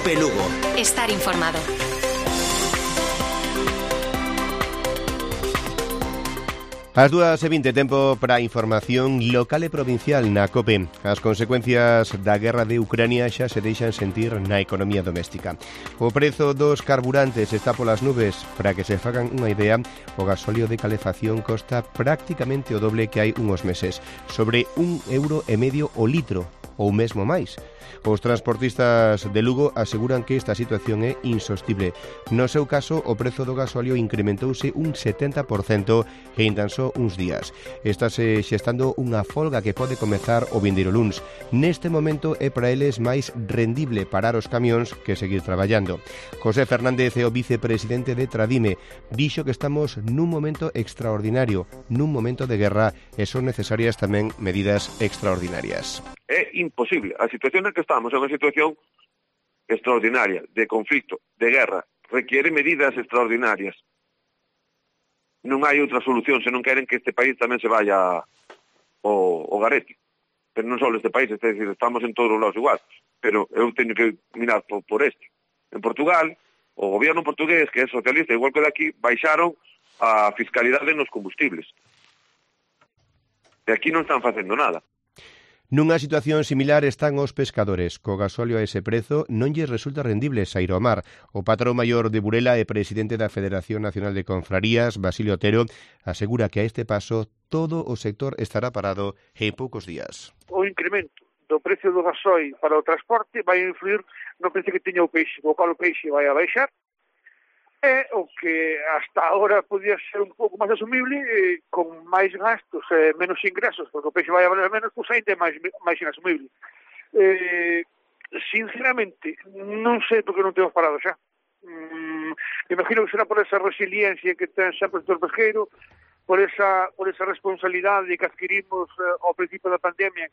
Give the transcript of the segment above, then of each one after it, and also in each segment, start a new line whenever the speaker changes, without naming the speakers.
Cope Lugo.
Estar informado.
As 2:20, tempo para a información local e provincial na COPE. As consecuencias da guerra de Ucrania xa se deixan sentir na economía doméstica. O prezo dos carburantes está polas nubes. Para que se fagan unha idea, o gasóleo de calefacción costa prácticamente o doble que hai uns meses, sobre €1,50 o litro, ou mesmo máis. Os transportistas de Lugo aseguran que esta situación é insostible. No seu caso, o prezo do gasóleo incrementouse un 70% en tan só uns días. Estáse xestando unha folga que pode comezar o vindeiro luns. Neste momento é para eles máis rendible parar os camións que seguir traballando. José Fernández é o vicepresidente de Tradime. Dixo que estamos nun momento extraordinario, nun momento de guerra, e son necesarias tamén medidas extraordinarias.
É imposible. A situación na que estamos é unha situación extraordinaria, de conflito, de guerra. Requiere medidas extraordinarias. Non hai outra solución se non queren que este país tamén se vaya o garete. Pero non só este país, é dicir, estamos en todos os lados igual. Pero eu teño que mirar por este. En Portugal, o goberno portugués, que é socialista, igual que daqui, baixaron a fiscalidade nos combustibles. E aquí non están facendo nada.
Nunha situación similar están os pescadores. Co gasóleo a ese prezo non lles resulta rendible saír ao mar. O patrón maior de Burela e presidente da Federación Nacional de Confrarías, Basilio Otero, asegura que a este paso todo o sector estará parado en poucos días.
O incremento do precio do gasoil para o transporte vai influir no precio que teña o peixe, o cual o peixe vai a baixar, e o que hasta ahora podía ser un pouco máis asumible, con máis gastos e menos ingresos, porque o peixe vai a valer menos, pois ainda é máis inasumible. Sinceramente, non sei porque non temos parado xa. Imagino que será por esa resiliencia que ten sempre o sector pesqueiro, por esa responsabilidade que adquirimos ao principio da pandemia.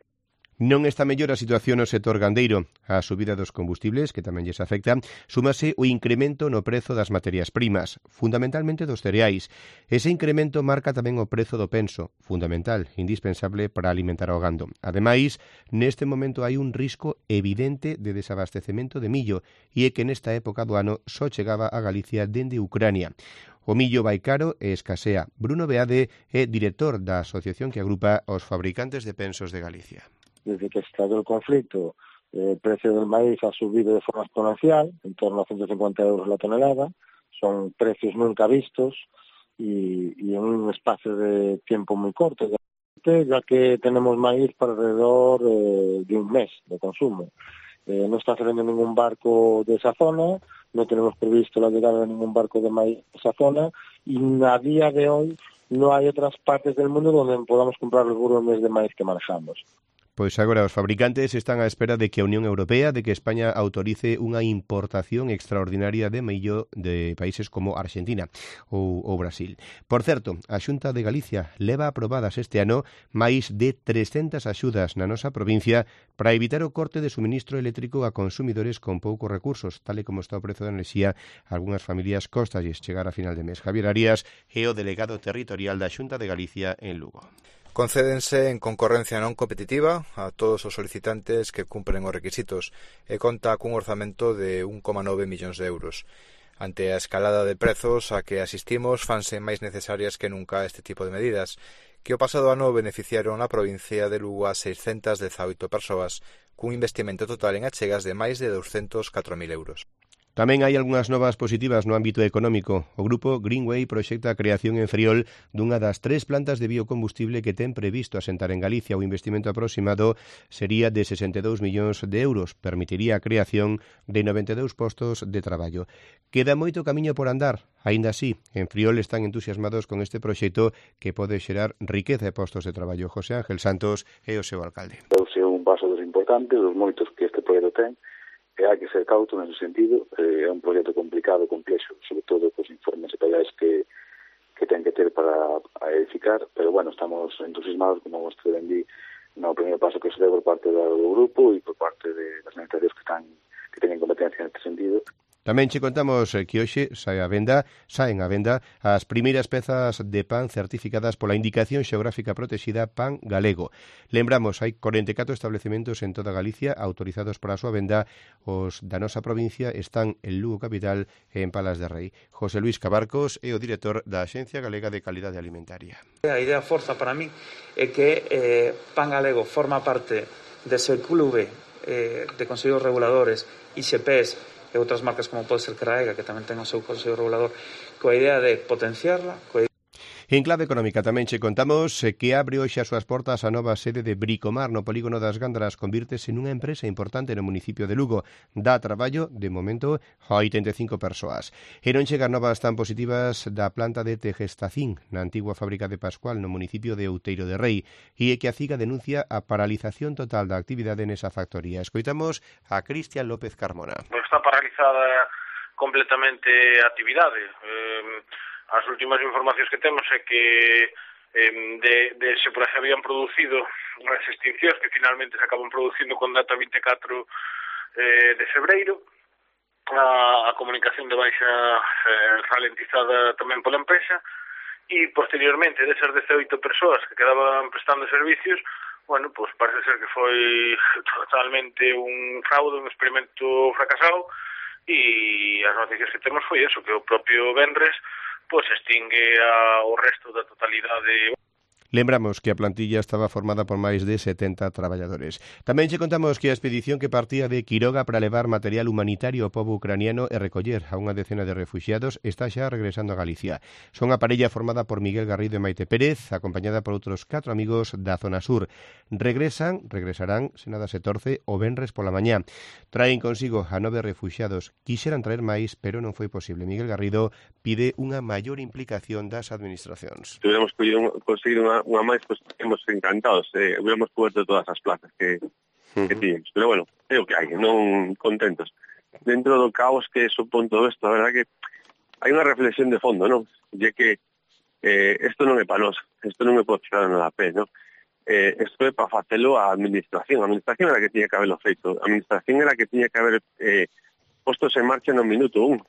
Non está mellor a situación no sector gandeiro. A subida dos combustibles, que tamén lles afecta, súmase o incremento no prezo das materias primas, fundamentalmente dos cereais. Ese incremento marca tamén o prezo do penso, fundamental, indispensable para alimentar ao gando. Ademais, neste momento hai un risco evidente de desabastecemento de millo, e é que nesta época do ano só chegaba a Galicia dende Ucrania. O millo vai caro e escasea. Bruno Beade é director da asociación que agrupa os fabricantes de pensos de Galicia.
Desde que estalló el conflicto, el precio del maíz ha subido de forma exponencial, en torno a 150 euros la tonelada. Son precios nunca vistos y en un espacio de tiempo muy corto, ya que tenemos maíz para alrededor de un mes de consumo. No está saliendo ningún barco de esa zona, no tenemos previsto la llegada de ningún barco de maíz de esa zona, y a día de hoy no hay otras partes del mundo donde podamos comprar los volúmenes de maíz que manejamos.
Pois agora os fabricantes están á espera de que a Unión Europea, de que España autorice unha importación extraordinaria de millo de países como Argentina ou Brasil. Por certo, a Xunta de Galicia leva aprobadas este ano máis de 300 axudas na nosa provincia para evitar o corte de suministro eléctrico a consumidores con poucos recursos, tal e como está o prezo da enerxía. Algunhas familias costalles chegar a final de mes. Javier Arias é o delegado territorial da Xunta de Galicia en Lugo.
Concédense en concorrencia non competitiva a todos os solicitantes que cumpren os requisitos e conta cun orzamento de 1,9 millóns de euros. Ante a escalada de prezos a que asistimos, fanse máis necesarias que nunca este tipo de medidas, que o pasado ano beneficiaron a provincia de Lugo a 618 persoas, cun investimento total en achegas de máis de 204.000 euros.
Tamén hai algunhas novas positivas no ámbito económico. O grupo Greenway proxecta a creación en Friol dunha das 3 plantas de biocombustible que ten previsto asentar en Galicia. O investimento aproximado sería de 62 millóns de euros. Permitiría a creación de 92 postos de traballo. Queda moito camiño por andar. Aínda así, en Friol están entusiasmados con este proxecto que pode xerar riqueza e postos de traballo. José Ángel Santos é o seu alcalde.
É un paso importante dos moitos que este proxecto ten. E hai que ser cauto nese sentido. É un proxecto complicado, complexo, sobre todo cos informes detalles que ten que ter para edificar, pero bueno, estamos entusiasmados, como vos te vendí, no primeiro paso que se deu por parte do grupo e por parte das administracións que teñen competencia neste sentido.
Tamén che contamos que hoxe saen a venda as primeiras pezas de pan certificadas pola Indicación Xeográfica Protexida Pan Galego. Lembramos, hai 44 establecementos en toda Galicia autorizados para a súa venda. Os da nosa provincia están en Lugo capital e en Palas de Rei. José Luis Cabarcos é o director da Axencia Galega de Calidade Alimentaria.
A idea forza para mí é que Pan Galego forma parte dese clube de consellos reguladores, IXPs e outras marcas como pode ser Craega, que tamén ten o seu consello regulador, coa idea de potenciarla.
En clave económica tamén che contamos que abre hoxe as súas portas a nova sede de Bricomar no polígono das Gándaras. Convírtese nunha empresa importante no municipio de Lugo. Dá traballo, de momento, a 85 persoas. E non chegan novas tan positivas da planta de Tegestacín, na antigua fábrica de Pascual, no municipio de Outeiro de Rei, e que a CIGA denuncia a paralización total da actividade nesa factoría. Escoitamos a Cristian López Carmona.
Está paralizada completamente a actividade. As últimas informacións que temos é que se por aí habían producido as extincións que finalmente se acaban producindo con data 24 de febreiro, a comunicación de baixa ralentizada tamén pola empresa, e posteriormente desas 18 persoas que quedaban prestando servicios, bueno, pues parece ser que foi totalmente un fraude, un experimento fracasado, e as noticias que temos foi eso, que o propio venres pois extingue o resto da totalidade.
Lembramos que a plantilla estaba formada por máis de 70 traballadores. Tamén che contamos que a expedición que partía de Quiroga para levar material humanitario ao pobo ucraniano e recoller a unha decena de refuxiados está xa regresando a Galicia. Son a parella formada por Miguel Garrido e Maite Pérez, acompañada por outros 4 amigos da zona sur. Regresarán, se nada se torce, o venres pola mañá. Traen consigo a 9 refuxiados. Quixeran traer máis, pero non foi posible. Miguel Garrido pide unha maior implicación das administracións.
Tuviéramos conseguido unha máis, pois estamos encantados. Hubiéramos coberto todas as plazas que tiñemos. Pero bueno, é o que hai, non contentos. Dentro do caos que supón todo isto, a verdade que hai unha reflexión de fondo, non? E que isto non é para nós, isto non é para tirar nada a pé, non? Isto é para facelo a administración. A administración era que tiña que haberlo feito. A administración era que tiña que haber postos en marcha no minuto 1.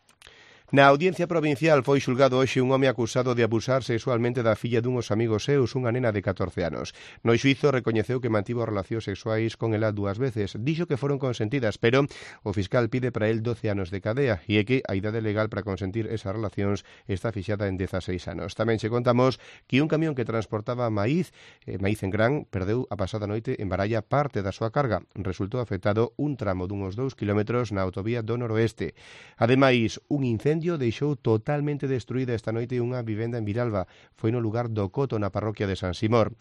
Na Audiencia Provincial foi xulgado hoxe un home acusado de abusar sexualmente da filla dunhos amigos seus, unha nena de 14 anos. No xuízo recoñeceu que mantivo relacións sexuais con ela 2 veces. Dixo que foron consentidas, pero o fiscal pide para el 12 anos de cadea e é que a idade legal para consentir esas relacións está fixada en 16 anos. Tamén che contamos que un camión que transportaba maíz en gran, perdeu a pasada noite en Baralla parte da súa carga. Resultou afectado un tramo dunhos 2 kilómetros na autovía do noroeste. Ademais, un incendio deixou totalmente destruída esta noite unha vivenda en Viralba. Foi no lugar do Coto, na parroquia de San Simón.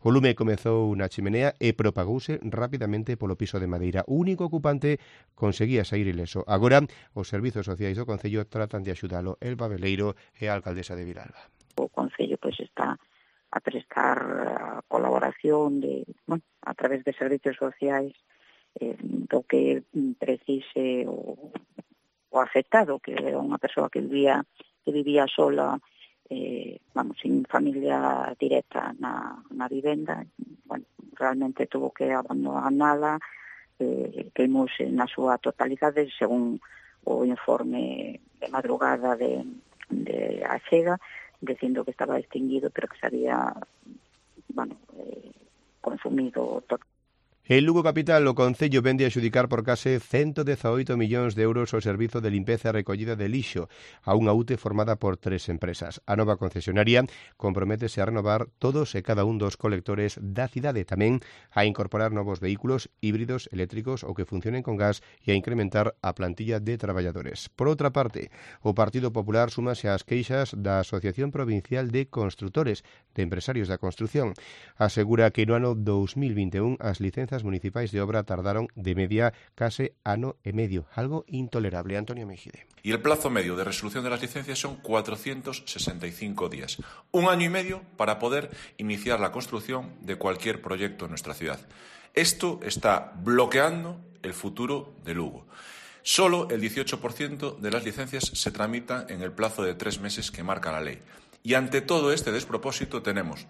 O lume comezou na chimenea e propagouse rapidamente polo piso de madeira. O único ocupante conseguía sair ileso. Agora, os servizos sociais do Concello tratan de axudalo. Elba Veleiro é a alcaldesa de Viralba.
O Concello está a prestar colaboración a través de servizos sociais do que precise o afectado, que era unha persoa que vivía sola, sin familia directa na vivenda. Bueno, realmente tuvo que abandonala, queimouse na súa totalidade, según o informe de madrugada de Achega, dicindo que estaba extinguido, pero que se había consumido totalmente.
En Lugo capital, o Concello vende a xudicar por case 118 millóns de euros o servizo de limpeza e recollida de lixo a unha UTE formada por 3 empresas. A nova concesionaria comprométese a renovar todos e cada un dos colectores da cidade, tamén a incorporar novos vehículos híbridos eléctricos ou que funcionen con gas e a incrementar a plantilla de traballadores. Por outra parte, o Partido Popular súmase ás queixas da Asociación Provincial de Construtores, de Empresarios da Construción. Asegura que no ano 2021 as licencias municipais de obra tardaron de media case ano e medio, algo intolerable. Antonio Mejide.
Y el plazo medio de resolución de las licencias son 465 días. Un año y medio para poder iniciar la construcción de cualquier proyecto en nuestra ciudad. Esto está bloqueando el futuro de Lugo. Solo el 18% de las licencias se tramitan en el plazo de 3 meses que marca la ley. Y ante todo este despropósito tenemos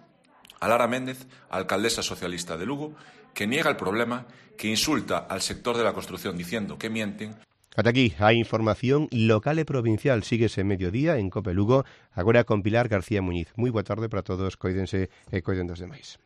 a Lara Méndez, alcaldesa socialista de Lugo, que niega el problema, que insulta al sector de la construcción diciendo que mienten.
Ata aquí a información local e provincial. Síguese mediodía en Cope Lugo, agora con Pilar García Muñiz. Moi boa tarde para todos, coídense e coiden dos demais.